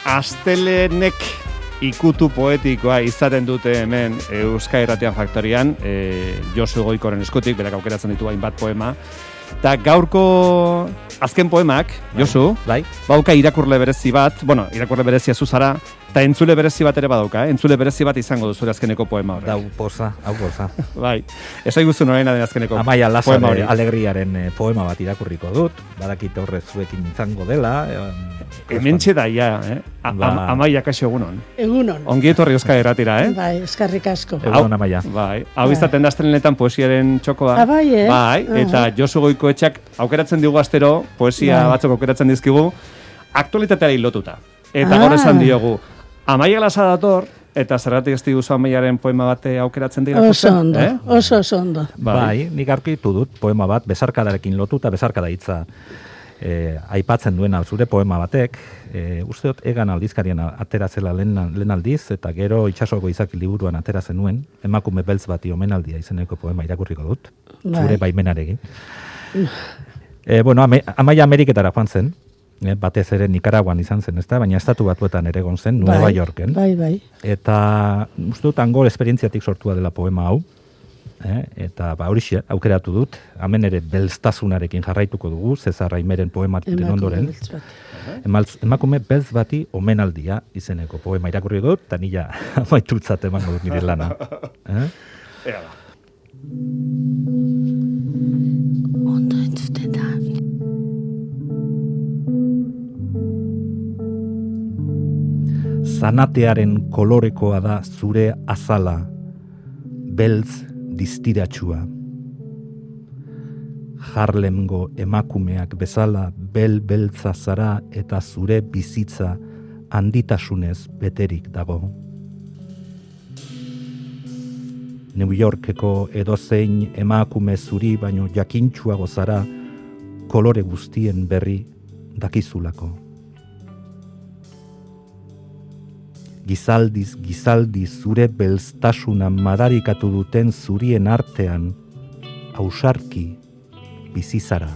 astelenek ikutu poetikoa izaten dute hemen Euskal Irratian Faktorian, Josu Goikoren eskutik, berak aukeratzen ditu hainbat poema. Eta gaurko azken poemak, Josu, bauka irakurle berezi bat, irakurle berezia zuzara, eta entzule berezi bat ere badauka, entzule berezi bat izango duzure azkeneko poema horrek. Hau poza. Bai, esai guztu norena den azkeneko Amaia poema hori. Alegriaren poema bat irakurriko dut, badakit horre zuekin izango dela. Hementxe da, Amaia, kaixo egunon. Egunon. Ongi etorri Euskal Irratira, Bai, eskarrik asko. Egunon, Amaia. Bai, hau izaten da astelenetan poesiaren txokoa. Bai, Bai, eta Josu Goikoetxeak aukeratzen digu astero, poesia batzuk aukeratzen dizkigu, aktualitateari lotuta. Eta gaur esan diogu, Amaia Lasa dator, eta zergatik ez diguzu Amaiaren poema bate aukeratzen dira? Oso ondo, oso ondo. Bai, nik aurkitu dut poema bat, besarkadarekin lotuta, besarkada hitza aipatzen duena zure poema batek, uste dut Egan aldizkarian aterazela lehen aldiz, eta gero Itsasoko izaki liburuan ateratzen nuen, emakume beltz bati omenaldia izeneko poema irakurriko dut, zure baimenarekin. Amaia Ameriketara joan zen, batez ere Nikaraguan izan zen, ezta? Baina estatu batuetan ere egon zen, Nueva Yorken. Bai. Eta uste dut hango esperientziatik sortua dela poema hau, eta horixe aukeratu dut, hemen ere belztasunarekin jarraituko dugu, Cesar Raimeren poemaren ondoren. Emakume beltz bati omenaldia izeneko poema irakurri dut, eta nila amaitutzat emango dut nire lana. Ondo entzuten da. Zanatearen kolorekoa da zure azala, beltz distiratsua. Harlemgo emakumeak bezala beltza zara eta zure bizitza handitasunez beterik dago. New Yorkeko edozein emakume zuri baino jakintsuago zara kolore guztien berri dakizulako. Gizaldi zure belztasuna madarikatu duten zurien artean, ausarki bizizara.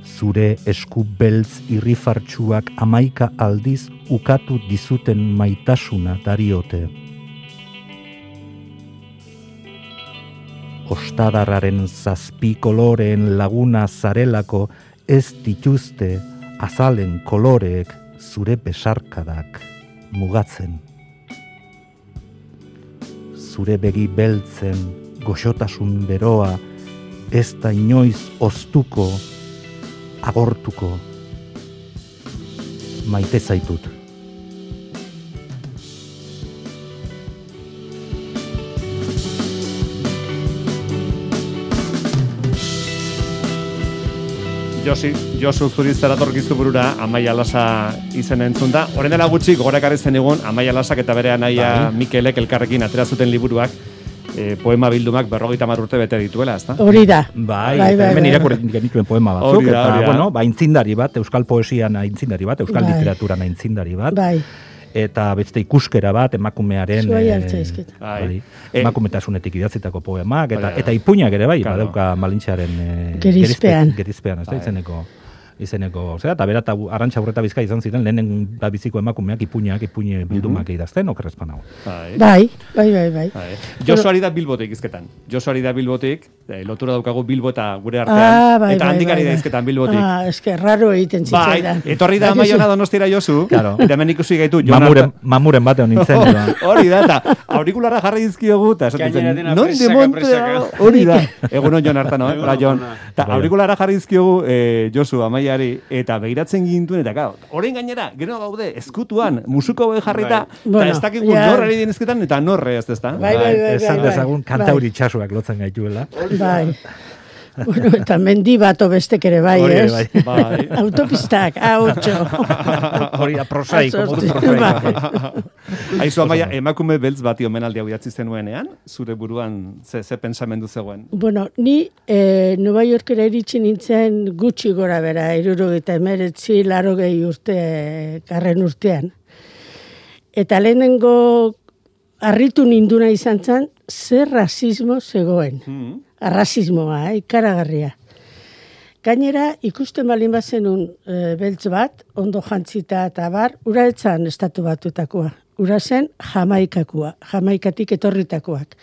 Zure esku beltz irrifartsuak 11 aldiz ukatu dizuten maitasuna dariote. Ostadarraren 7 koloreen laguna zarelako ez dituzte azalen koloreek zure besarkadak mugatzen. Zure begi beltzen goxotasun beroa ez da inoiz oztuko, agortuko. Maite zaitut. Josu zuri zeratorkiztu burura Amaia Lasa izen entzun da. Horren dela gutxi gogorakarri zen egun Amaia Lasak eta bere anaia Mikelek elkarrekin atera zuten liburuak, poema bildumak 50 urte bete dituela, ezta? Hori da. Hemen irakurri genituen poema batzuk, eta aintzindari bat, euskal poesian aintzindari bat, euskal literaturan aintzindari bat. Bai. Eta beste ikuskera bat emakumearen emakumetasunetik idatzitako poemak eta ipuinak ere bai, badauka Malintxearen gerizpean, ez da izeneko, eta bera eta Arantxa Urreta Bizkai izan ziren lehenen da biziko emakumeak ipuine bildumak idazten, okerrezpan hau. Bai. Josuari da Bilbotik izketan. Josuari da Bilbotik, lotura daukagu Bilbo eta gure artean, eta handikari da izketan Bilbotik. Eske raro egiten zitzaidan. Etorri da Amaiona Donostira Josu, eta hemen ikusi gaitu. Mamuren bate honintzen. Hori da, eta aurikularra jarri dizkiogu, eta esaten zen, non de montea, hori da. Egunon Jon Artano, eta aurikularra jarri dizkiogu Josu Amaia eta begiratzen gintuen, eta orain gainera, gero gaude, eskutuan, musuko jarrita, eta ez dakik norrari denizketan, eta norre ez da. Esan dezagun kantauri txasuak lotzen gaituela. Bai. Eta mendi bato bestek ere bai, ez? Autopistak, hautxo. Hori da prosaiko. Aizu, Amaia, emakume beltz bati omenaldia idatzi zenuenean, zure buruan ze pensamendu zegoen? Bueno, ni Nueva Yorkera iritsi nintzen gutxi gora bera, 79, 80 urte, garren urtean. Eta lehenengo harritu ninduna izan zen, zer rasismo zegoen. Arrasismoa, ikaragarria. Gainera, ikusten balin bazenun beltz bat, ondo jantzita eta bar, ura etzan estatu batutakoa. Ura zen Jamaikatik etorritakoak.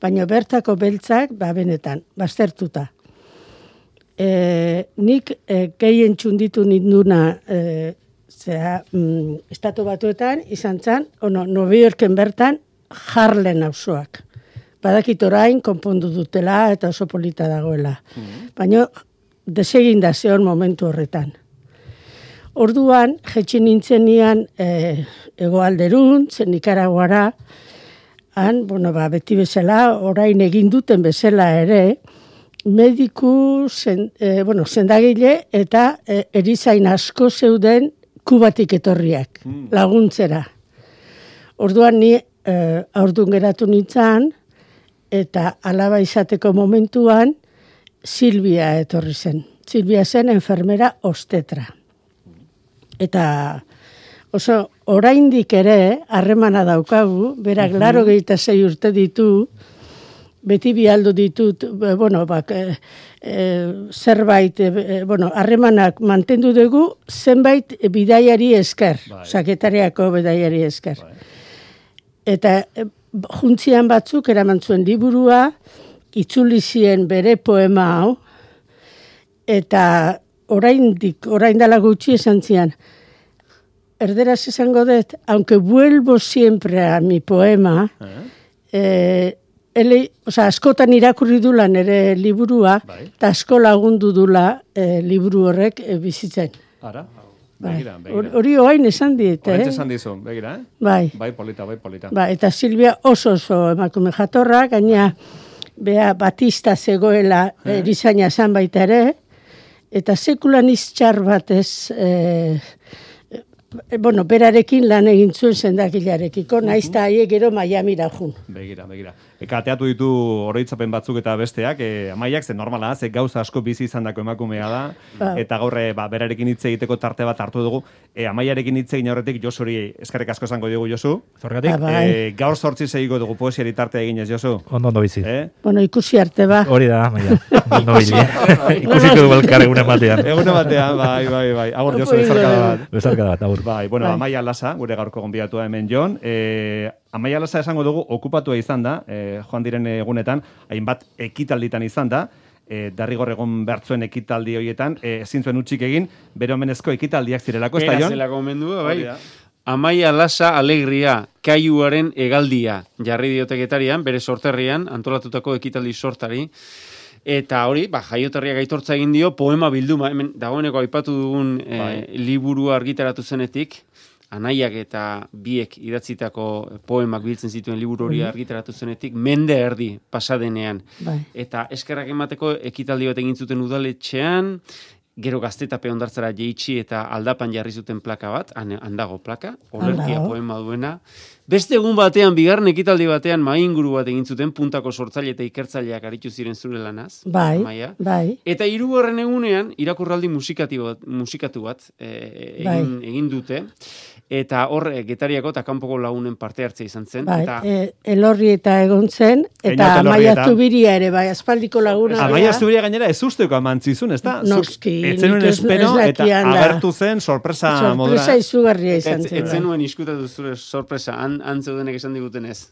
Baina bertako beltzak, benetan, baztertuta. Nik gehien txunditu ninduna estatu batuetan, izan zen, New Yorken bertan, Harlem auzoak. Badakit orain, konpondu dutela eta oso polita dagoela. Baina, desegin da zeon momentu horretan. Orduan, jetxin nintzen nian hegoalderuntz, Nikaraguara, beti bezala, orain egin duten bezala ere, mediku, sendagile eta erizain asko zeuden Kubatik etorriak, laguntzera. Orduan ni aurdun geratu nintzen, eta alaba izateko momentuan, Silvia etorri zen. Silvia zen enfermera ostetra. Eta oso oraindik ere harremana daukagu, berak 86 urte ditu, beti bialdu ditut, zerbait, harremanak mantendu dugu, zenbait bidaiari esker, saketariako bidaiari esker. Eta juntzian batzuk eraman zuen liburua, itzuli zien bere poema hau, eta orain dela gutxi esan zian, erderaz esango dut, aunque vuelvo siempre a mi poema, askotan irakurri dula nere liburua, eta asko lagundu dula liburu horrek bizitzen. Ara? Hori oain esan dit, Horretz esan dizun, begira, Bai, polita. Eta Silvia oso emakume jatorra, gaina bea Batista zegoela erizaina zan baita ere, eta sekulan iztxar batez, berarekin lan egin zuen sendagilarekiko, naizta haiek gero Miamira jun. Begira. Kateatu ditu oroitzapen batzuk eta besteak, Amaiak, ze normala, ze gauza asko bizi izandako emakumea da, eta gaur berarekin hitz egiteko tarte bat hartu dugu. Amaiarekin hitz egin aurretik Josuri eskerrik asko esango diogu, Josu. Zorgatik? Gaur 8 segiko dugu poesiari tarte eginez, Josu. Ondo bizi. Ikusi arte ba. Hori da, Amaia. Ondo bili. Ikusiko dugu elkar egunen batean. Egunen batean, bai. Agur, Josu, bezarkada bat. Agur. Bai, Amaia Lasa, gure gaurko gonbidatua hemen Jon. Amaia Lasa esango dugu, okupatua izan da, joan diren egunetan, hainbat ekitalditan izan da, Derrigor egon bertzuen ekitaldi horietan, ezin zuen utzik egin, bere omenezko ekitaldiak zirelako, ez da, Jon? Zelako omendu, bai. Amaia Lasa alegria, kaiuaren hegaldia, jarri dioteketarian, bere sorterrian, antolatutako ekitaldi sortari, eta hori, jaioterriak aitortza egin dio, poema bilduma, hemen dagoeneko aipatu dugun liburua argitaratu zenetik, Anaiak eta biek idatzitako poemak biltzen zituen liburu hori argitaratu zenetik, mende erdi pasadenean. Eta eskerrak emateko ekitaldi bat egin zuten udaletxean, gero Gaztetape hondartzara jeitsi eta aldapan jarri zuten plaka bat, handago plaka, olerkia poema duena. Beste egun batean, bigarren ekitaldi batean, mainguru bat egin zuten, puntako sortzaile eta ikertzaileak aritu ziren zure lanaz. Bai. Eta 3. egunean, irakurraldi musikatu bat egin dute. Eta hor, Getariako eta kanpoko lagunen parte hartzea izan zen. Elorri eta egon zen, eta Amaia Zubiria ere, aspaldiko laguna. Amaia Zubiria gainera ez usteko amantzizun, ez da? Noski. Etzenuen espero, eta agertu zen sorpresa modura. Sorpresa izugarria izan zen. Etzenuen iskutatu zure sorpresa, antzeudenek esan digutenez.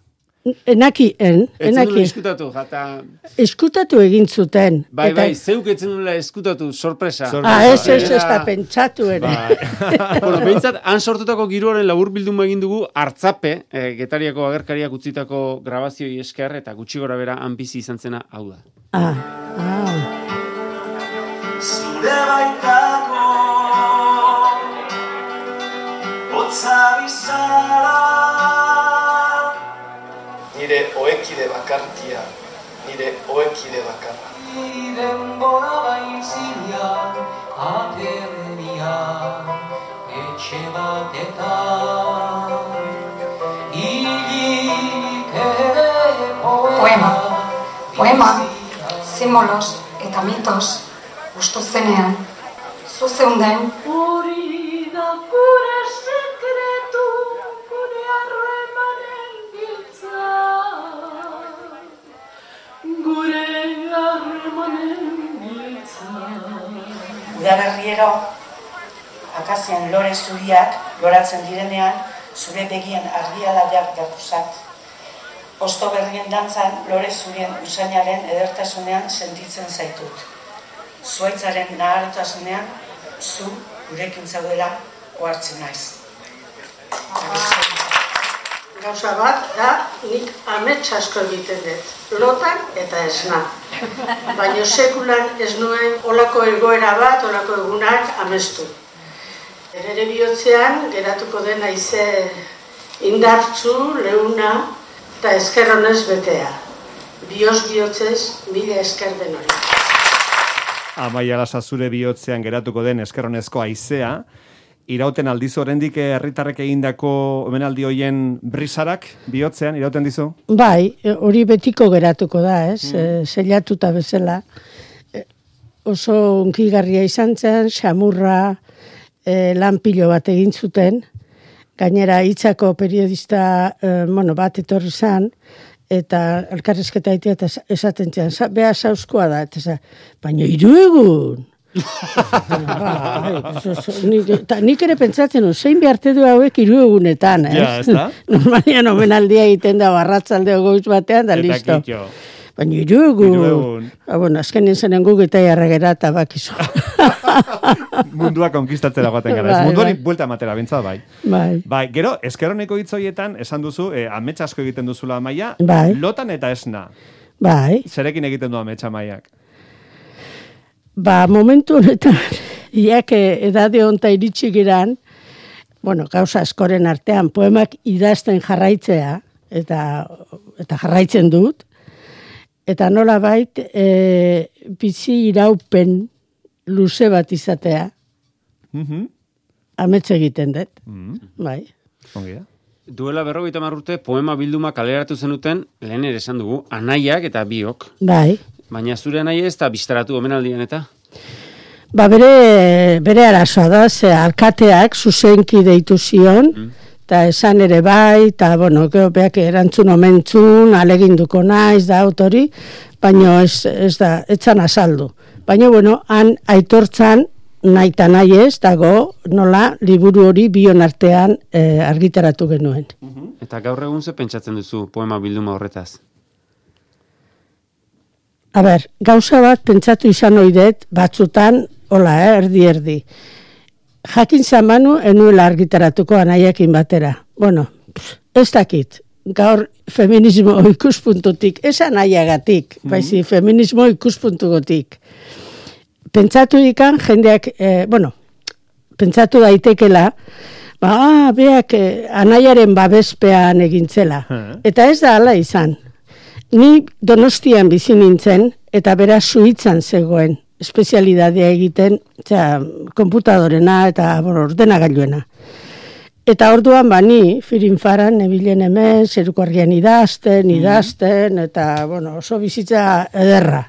Enakien. Eskutatu, jata... Eskutatu egin zuten. Bai, zeuk etzen nula eskutatu, sorpresa. Ez da pentsatu ere. Behintzat, han sortutako giroaren labur bilduma egin dugu, Artzape, Getariako agerkariak utzitako grabazioi esker, eta gutxi gora bera han bizi izan zena hau da. Zure baitako hotza bizara nire oekide bakartia, nire oekide bakarra. Denbora baizia, aterria, etxe batetan, hilik ere Poema, simbolos eta mitos, ustu zenean, zuzeunden. Hori da gure sekretu, gure harremanen giltza. Gure harremanen giltza. Udaberriero, akazien lore zuriak loratzen direnean, zure begien argialaiak dapuzat. Osto berrien dantzan, lore zurien usainaren edertasunean sentitzen zaitut. Zuaitzaren nahartasunean, zu gurekin zaudela ohartzen naiz. Gauza bat da, nik amets asko egiten dut, lotan eta esna. Baina sekulan ez nuen olako egoera bat, olako egunak amestu. Ere bihotzean, geratuko den haize indartzu, leuna eta eskerronez betea. Bioz bihotzez, mila esker den hori. Amaia Lasa zure bihotzean geratuko den eskerronezko haizea, irauten aldiz oraindik herritarrek egindako omenaldi hoien brisarak bihotzean irauten dizu? Bai, hori betiko geratuko da, ez? Zelatuta bezala. Oso unkigarria izan zen, xamurra, lan pilo bat egin zuten, gainera hitzako periodista bat etorri zen, eta elkarrizketa egitea eta esaten zian, beha sauzkoa da, eta baina 3 egun! Nik ere pentsatzen, zein behartu du hauek 3 egunetan, ez? Ja, ez da? Normalian omenaldia egiten da barratzaldeo goiz batean, da listo. Baina 3 egun. Bueno, azkenien zenen gugeta jarragera eta bakizu. Mundua konkistatzera guaten gara. Munduari buelta ematera bintzat, bai. Bai. Gero, eskerroneko hitz horietan, esan duzu, amets asko egiten duzula Amaia, lotan eta esna. Bai. Zerekin egiten du amets Amaiak? Momentu honetan, iak edade honta iritsi giran, gauza askoren artean, poemak idazten jarraitzea, eta jarraitzen dut, eta nola bait, bizi iraupen luze bat izatea, amets egiten dut, bai. Ongi da. Duela 50 urte poema bilduma kaleratu zenuten, lehen ere esan dugu, anaiak eta biok. Bai. Baina zure anaia ez da biztaratu omenaldian eta? Bere arazoa da, ze alkateak zuzenki deitu zion, eta esan ere bai, eta beak erantzun omentzun, aleginduko naiz da autori, baina ez da, etzan azaldu. Baina, han aitortzan nahi eta nahi ez, dago nola liburu hori bion artean argitaratu genuen. Eta gaur egun ze pentsatzen duzu poema bilduma horretaz? Gauza bat pentsatu izan oidet, batzutan, erdi. Jakin zamanu, enuela argitaratuko anaiakin batera. Ez dakit. Gaur feminismo ikuspuntutik, ez anaiagatik, baizi feminismo ikuspuntugotik. Pentsatu ikan, jendeak, pentsatu daitekela, beak anaiaren babespean egintzela. Eta ez da hala izan. Ni Donostian bizi nintzen, eta bera Suitzan zegoen, espezialidadea egiten, konputadorena eta ordenagailuena. Eta orduan ni firinfaran nebilen hemen, zeruko argian idazten, eta oso bizitza ederra.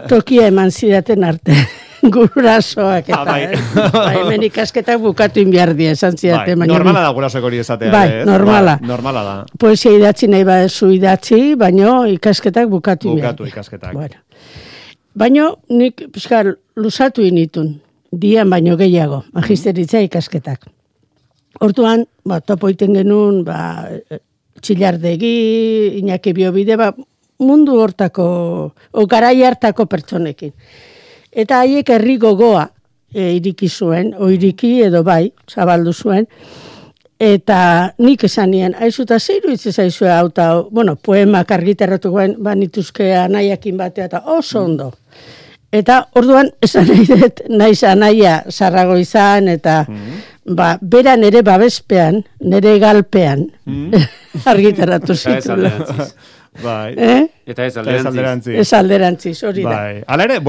Tokia eman zidaten arte. Gurasoak eta, hemen ikasketak bukatu inbiardia, esan zidaten. Normala da gurasoak hori esatea. Normala. Normala da. Poesia idatzi nahi badezu idatzi, baino ikasketak bukatu inbiardia. Bukatu ikasketak. Baino nik lusatu initun, dian baino gehiago, magisteritza ikasketak. Orduan, topo iten genuen, Txillardegi, Iñaki Biobide, mundu hortako, garai hartako pertsonekin. Eta haiek herri gogoa iriki zuen, iriki edo bai, zabaldu zuen, eta nik esan nien, aizuta zeiru hitz zaizue hauta, poemak argitarratu guen, banituzke anaiakin batea, eta oso ondo. Eta orduan, esan nahi dut, naiz anaia zarrago izan, eta bera nere babespean, nere galpean, argitarratu zitula. Eta ez alderantziz. Ez alderantziz, hori da. Hala ere,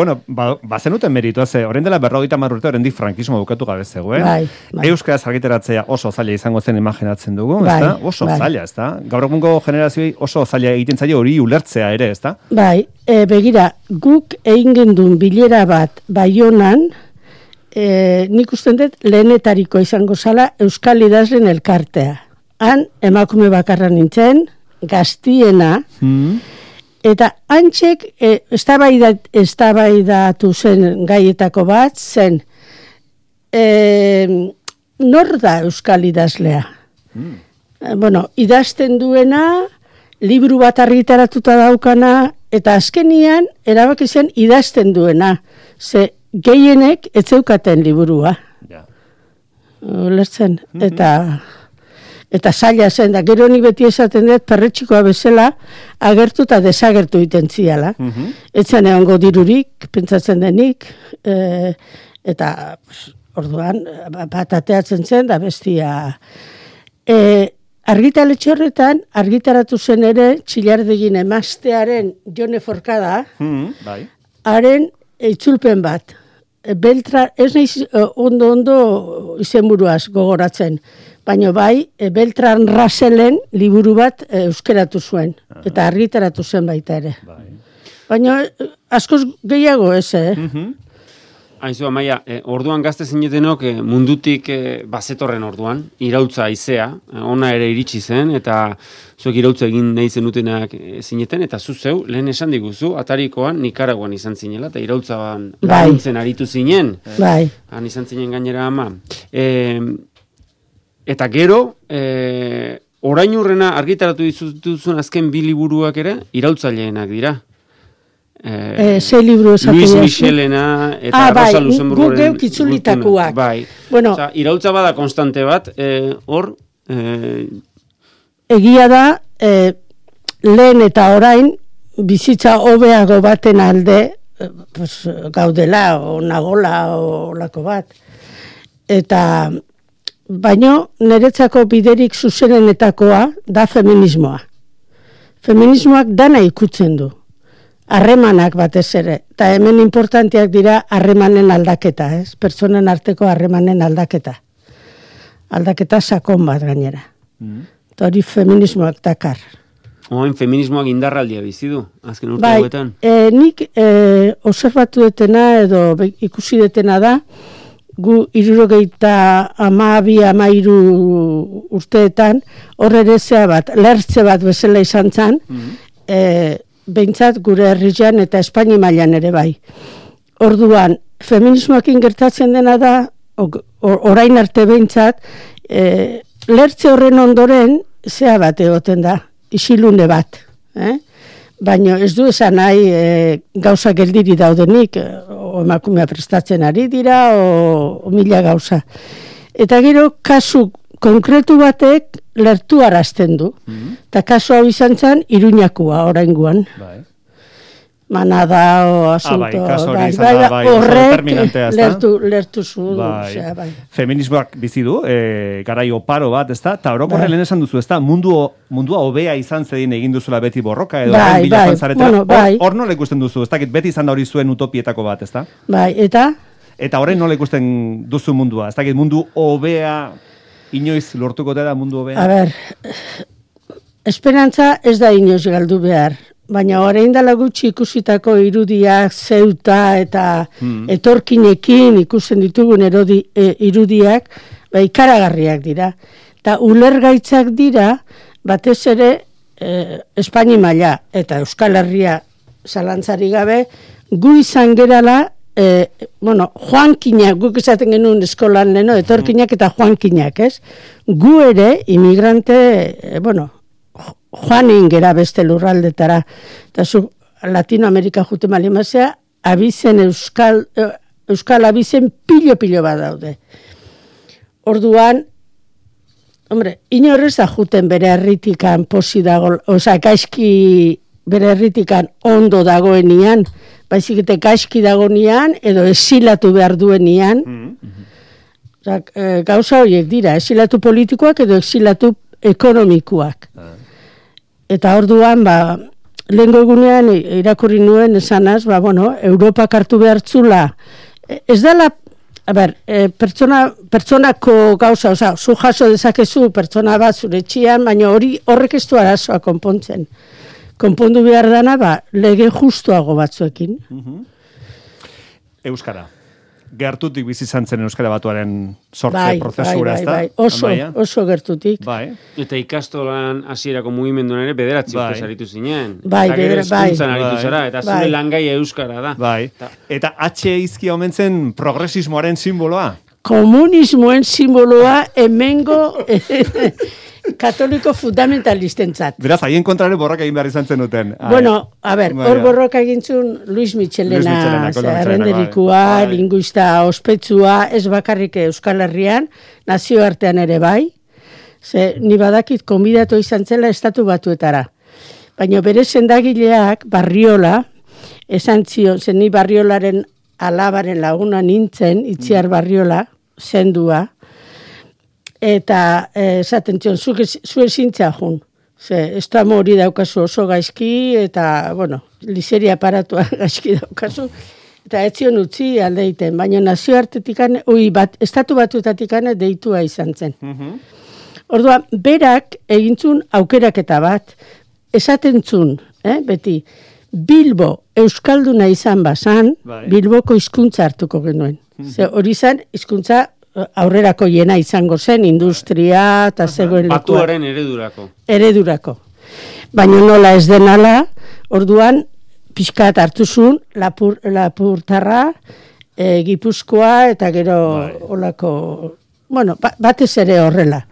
bazenuten meritua, orain dela 50 urte, oraindik frankismo bukatu gabe zegoen. Euskaraz argitaratzea oso zaila izango zen imaginatzen dugu, ezta? Oso zaila, ezta? Gaur egungo generazioei oso zaila egiten zaio hori ulertzea ere, ezta? Bai, begira, guk egin gendun bilera bat Baionan, nik usten dut lehenetariko izango zala Euskal Idazlen elkartea. Han, emakume bakarra nintzen, gaztiena, Eta antxek eztabaidatu zen gaietako bat zen nor da euskal idazlea? Bueno, idazten duena, liburu bat argitaratuta daukana, eta azkenian erabaki zen idazten duena. Ze gehienek ez zeukaten liburua. Lertzen, eta zaila zen, da gero nik beti esaten dut perretxikoa bezala agertu eta desagertu iten ziala. Etzen egongo dirurik, pentsatzen denik, eta orduan bat ateatzen zen, da bestia. Argitaletxe horretan, argitaratu zen ere Txillardegin emaztearen Jone Forkada, haren itzulpen bat. Beltran, ez nahiz ondo izenburuaz gogoratzen, baina bai, Beltran Raselen liburu bat euskeratu zuen, eta argitaratu zen baita ere. Baina askoz gehiago ez, Aizu, Amaia, orduan gazte zinetenok mundutik bazetorren orduan, irautza haizea, ona ere iritsi zen, eta zuek irautza egin nahi zenutenak zineten, eta zeu, lehen esan diguzu, Atarikoan, Nikaraguan izan zinela, eta irautzaban laguntzen aritu zinen. Bai. Han izan zinen gainera ama. Eta gero, orain urrena argitaratu dituzun azken bi liburuak ere, irautzaileenak dira. Ze liburu esatu Luis Michelena eta Rosa Luxemburgoren. Gu geuk itzulitakuak. Bai. Bueno, irautza bada konstante bat, hor... Egia da, lehen eta orain, bizitza hobeago baten alde, gaudela, o nagola, o lako bat. Eta, baino, niretzako biderik zuzenenetakoa da feminismoa. Feminismoak dana ikutzen du. Harremanak batez ere, eta hemen importanteak dira harremanen aldaketa, pertsonen arteko harremanen aldaketa. Aldaketa sakon bat gainera. Eta hori feminismoak dakar. Oain feminismoak indarraldia bizi du, azken urte hauetan. Nik observatu detena edo ikusi detena da, gu 72-13 urteetan, horre ere bat, lertze bat bezala izan zen, behintzat gure herrian eta Espaini mailan ere bai. Orduan, feminismoakin gertatzen dena da, orain arte behintzat, lertze horren ondoren, zea bat egoten da, isilune bat. Baina ez du esan nahi gauza geldiri daudenik, o emakumea prestatzen ari dira, o mila gauza. Eta gero, kasu konkretu batek lertu arazten du. Eta kasu hau izan zen, Iruñakua oraingoan. Manada o asunto. Horrek lertu zuen. Feminismoak bizi du, garai oparo bat, ezta? Ta orokorre lehen esan duzu, ezta? Mundua hobea izan zedin egin duzula beti borroka, edo bila joan hor nola ikusten duzu, ez dakit beti izan da hori zuen utopietako bat, ezta? Bai, eta? Eta horren nola ikusten duzu mundua, ez dakit mundu hobea inoiz lortuko da mundu hobea? A ber, esperantza ez da inoiz galdu behar, baina orain dela gutxi ikusitako irudiak, zeuta eta etorkinekin ikusten ditugun irudiak, ikaragarriak dira. Eta ulergaitzak dira, batez ere Espaini maila eta Euskal Herria zalantzari gabe, gu izan gerala, joankinak, guk esaten genuen eskolan leno, etorkinak eta joankinak, ez? Gu ere, imigrante, joanin gera beste lurraldetara. Eta zu, Latinoamerika jute malimazea, abizen Euskal abizen pilo bat daude. Orduan, inorrez da juten bere herritikan posi dago, gaizki bere herritikan ondo dagoenian, baizik eta gaizki dagoenian, edo esilatu behar duenian. Gauza horiek dira, esilatu politikoak edo esilatu ekonomikoak. Eta orduan, lehengo egunean irakurri nuen esanaz, Europak hartu behartzula. Ez dela, pertsonako gauza, zu jaso dezakezu pertsona bat zure etxean, baina horrek ez du arazoa konpontzen. Konpondu behar dana, lege justuago batzuekin. Euskara. gertutik bizi izan zen Euskara Batuaren sortze prozesura, ezta? Oso gertutik. Bai. Eta ikastolan hasierako mugimenduan ere 9 urte saritu zinen. Bai, eta gero hezkuntzan aritu zara, eta zure langaia euskara da. Bai. Eta H izkia omen zen progresismoaren simboloa? Komunismoen simboloa hemengo katoliko fundamentalistentzat. Beraz, haien kontrare borroka egin behar izan zen duten. Bueno, a ver, hor borroka egintzun Luis Michelena, errenderikua, linguista ospetsua, ez bakarrik Euskal Herrian, nazioartean ere bai, ze ni badakit konbidatu izan zela Estatu Batuetara. Baina bere sendagileak, Barriola, esan zion, zen ni Barriolaren alabaren laguna nintzen, Itziar Barriola, zendua, eta esaten zion, zu ezintzea jun. Ez da hori daukazu oso gaizki, eta, bueno, liseria aparatua gaizki daukazu, eta ez zion utzi aldeiten, baina nazioartetikan, Estatu Batuetatikane deitua izan zen. Orduan, berak egintzun aukeraketa bat, esaten zun, beti, Bilbo euskalduna izan bazan, Bilboko hizkuntza hartuko genuen. Hori zen, hizkuntza aurrerako jena izango zen, industria, eta zegoen lekua. Batuaren eredurako. Eredurako. Baina nola ez denala, orduan, pixkat hartuzun, Lapurtarra, Gipuzkoa, eta gero olako, bueno, batez ere horrela.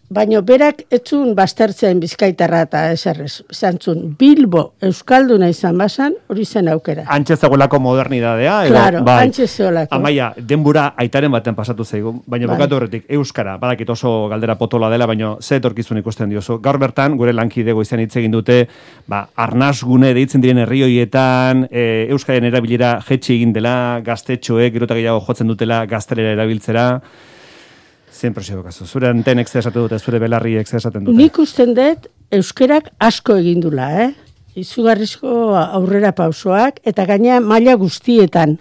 Baina berak etzun baztertzen Bizkaitarra eta eserrez. Zantzun, Bilbo euskalduna izan bazan, hori zen aukera. Antxe zegoelako modernidadea. Claro, antxe zegoelako. Amaia, denbora aitaren baten pasatu zaigu, baina bukatu horretik, Euskara, badakit oso galdera potola dela, baina ze etorkizun ikusten diozu. Gaur bertan, gure lankidego izan hitz egin dute, arnasgune deitzen diren herri horietan, Euskaren erabilera jetxe egin dela, gaztetxoek, gero eta gehiago jotzen dutela, gaztelera erabiltzera. Zein presio bakazu? Zure antenek zer esaten dute, zure belarriek zer esaten dute? Nik usten dut, euskerak asko egin dula, izugarrizko aurrera pausoak, eta gaina maila guztietan.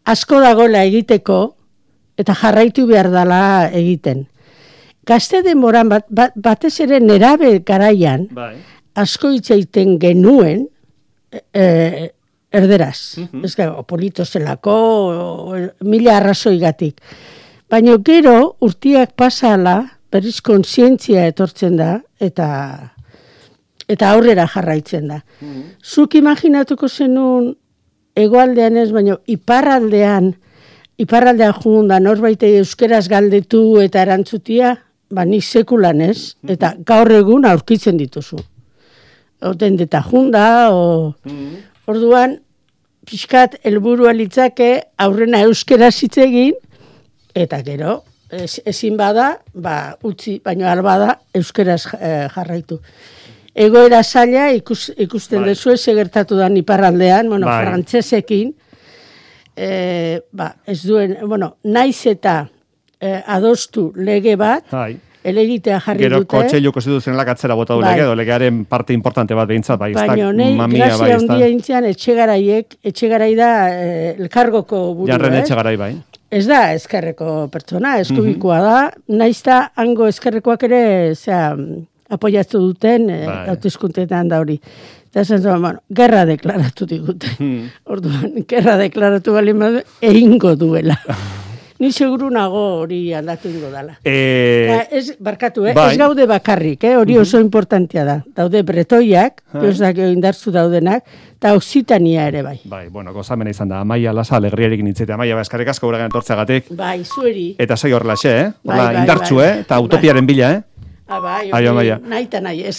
Asko dagoela egiteko, eta jarraitu behar dela egiten. Gazte denboran, batez ere nerabe garaian, asko itzaiten genuen, erderaz. Ez gara, polito zelako, mila arrazoigatik. Baina gero, urtiak pasala, berriz kontzientzia etortzen da, eta aurrera jarraitzen da. Zuk imaginatuko zenun, hegoaldean ez, baina iparraldean junda, norbaite euskeraz galdetu eta erantzutia, nik sekulan ez, eta gaur egun aurkitzen dituzu. Oten deta junda, orduan, pixkat helburua litzake, aurrena euskeraz hitz egin, eta gero, ezin bada, utzi, baino albada, euskeraz jarraitu. Egoera zaila ikusten dezu ez gertatu da iparraldean, frantsesekin, ez duen, naiz eta adostu lege bat, elegitea jarri dute. Gero kotxeilu konstituzionalak atzera bota du lege, legearen parte importante bat behintzat, baina nahi, grazia handia intzian, etxegarai da elkargoko buru. Jarren etxegarai bai. Ez da ezkerreko pertsona, eskubikoa da, naizta hango ezkerrekoak ere apoiatu duten hauteskundeetan da hori. Eta esan zuen, gerra deklaratu diguten. Orduan, gerra deklaratu bali egingo duela. Ni seguru nago hori aldatu ingo dela. Ez gaude bakarrik, hori oso importantea da. Daude bretoiak, indartzu daudenak, eta Occitania ere bai. Bai, gozamena izan da. Amaia Lasa, alegriarekin nintzete. Amaia, eskarrik asko guragan etortzeagatik. Bai, zueri. Eta segi horrelaxe, indartzu, eta utopiaren bila, Bai, nahi eta nahi ez.